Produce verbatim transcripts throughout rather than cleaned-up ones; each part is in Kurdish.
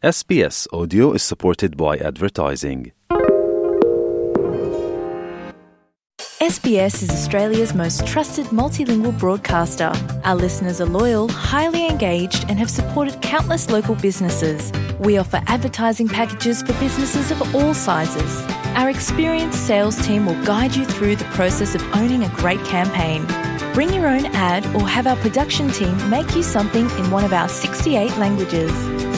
S B S Audio is supported by advertising. S B S is Australia's most trusted multilingual broadcaster. Our listeners are loyal, highly engaged, and have supported countless local businesses. We offer advertising packages for businesses of all sizes. Our experienced sales team will guide you through the process of owning a great campaign. Bring your own ad or have our production team make you something in one of our sixty-eight languages.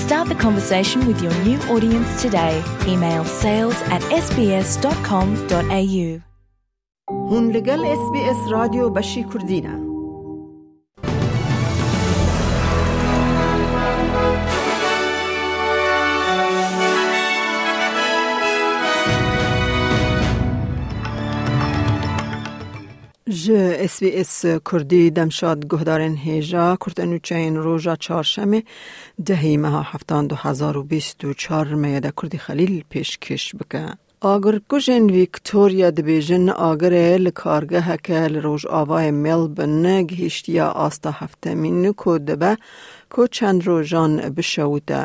Start the conversation with your new audience today. Email sales at S B S dot com dot A U. Hûn li gel S B S Radyo Beşî Kurdî ne. Ji S B S Kurdî demşad guhdarên hêja kurtenûçeyên roja çarşemê dehî meha heftan du hezar û bîst û çar me ye de Kurdî Xelîl pêşkêş bike. Agirkujên Victoria dibêjin agirê li kargeheke li rojavayê Melbourne gihiştiye asta heftemîn ku dibe ku çend rojan bişewite.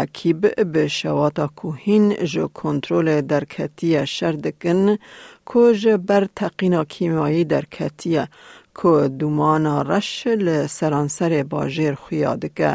Ekîb bi şewata ku hîn ji kontrolê derketiye şer dikin ku ji ber teqîna kîmayî derketiye ku dumana reş li seranserê bajêr xuya dike.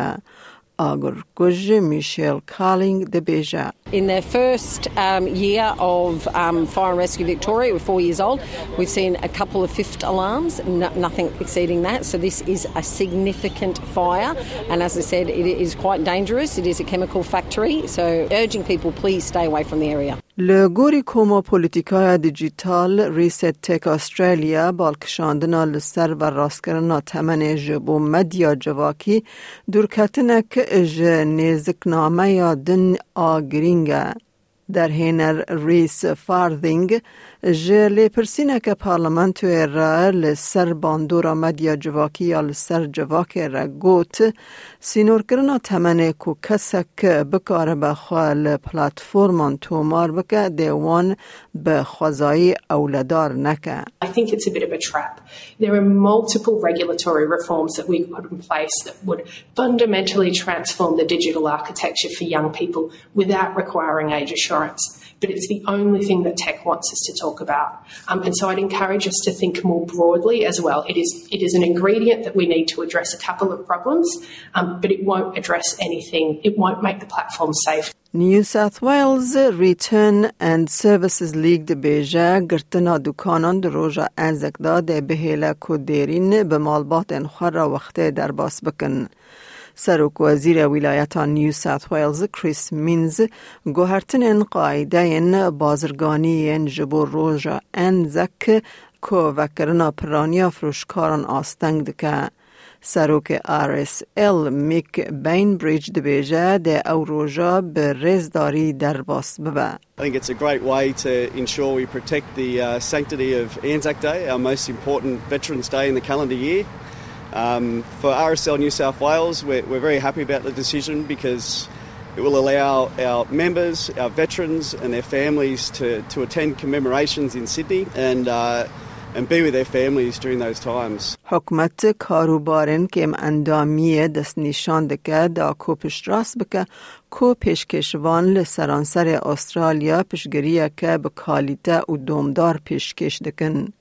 Agirkuj Michelle Carling dibêje. In their first, um, year of, um, Fire and Rescue Victoria, we're four years old, we've seen a couple of fifth alarms, no-, nothing exceeding that. So this is a significant fire, and as I said, it is quite dangerous. It is a chemical factory, so urging people, please stay away from the area. Li gorî Koma Polîtîkaya Dîjîtal, Reset Tech Australia, balkişandina li ser verrastkirina temenê ji bo medya civakî dûrketinek ji nêziknameya din a girîng e. Derhêner Reece Farthing ji lêpirsîneke parlamentoyê re li ser bandora medya civakî ya li ser civakê re got, sînorkirina temenê ku kesek bikaribe xwe li platforman tomar bike, dê wan bi xwezayî ewledar neke. I think it's a bit of a trap. There are multiple regulatory reforms that we could put in place that would fundamentally transform the digital architecture for young people without requiring age assurance. But it's the only thing that tech wants us to talk about. Um, and so I'd encourage us to think more broadly as well. It is, it is an ingredient that we need to address a couple of problems, um, but it won't address anything. It won't make the platform safe. New South Wales Return and Services League dibêje, girtina dukanan di roja Enzek de dê bihêle ku dêrîn bi malbatên xwe re wextê derbas bikin. Serokwezîrê wîlayeta New South Wales Chris Minns guhertinên qaîdeyên bazirganî yên ji bo roja Enzek ku vekirina piraniya firoşkaran asteng dike. Serokê R S L Mick Bainbridge dibêje dê ew roja bi rêzdarî derbas bibe. I think it's a great way to ensure we protect the, uh, sanctity of Anzac Day, our most important Veterans Day in the calendar year. Um, for R S L New South Wales, we're, we're very happy about the decision because it will allow our members, our veterans and their families to, to attend commemorations in Sydney and, uh, and be with their families during those times. Hikûmet karûbarên kêmendamiyê destnîşan dike da ku piştrast bike ku pêşkêşvan li seranserê Australya piştgiriyeke bi kalîte û domdar pêşkêş dikin.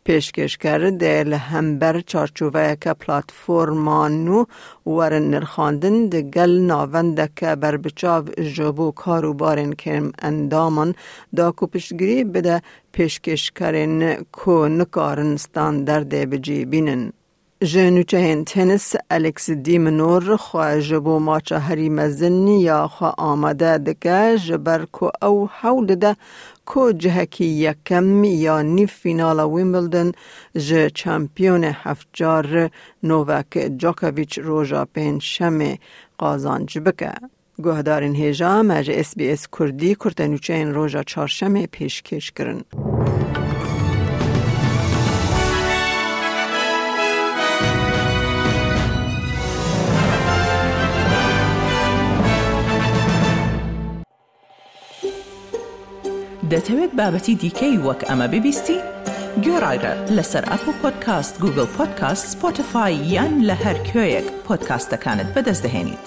Pêşkêşker dê li hember çarçoveyeke platforma nû werin nirxandin, di gel navendeke berbiçav ji bo karûbarên kêmendaman da ku piştgirî bide pêşkêşkerên ku nikarin standardê bi cî bînin. Ji nûçeyên tenis Alex de Minaur xwe ji bo maça herî mezin ya xwe amade dike, ji ber ku ew hewl dide ku cihekî yekem ya nîv fînala Wimbledon ji çempiyonê heftcar Novak Djokovic roja pêncşemê qazanc bike. Guhdarên hêja me ji S B S Kurdî kurtenûçeyên roja çarşemê pêşkêş kirin. دەتەوێت بابەتی دیکەی وەک ئەمە ببیستی؟ گوێڕایرە لەسەر ئەپڵ پۆدکاست، گوگڵ پۆدکاست، سپۆتیفای یان لە هەر کوێیەک پۆدکاستەکانت بەدەست دەهێنیت.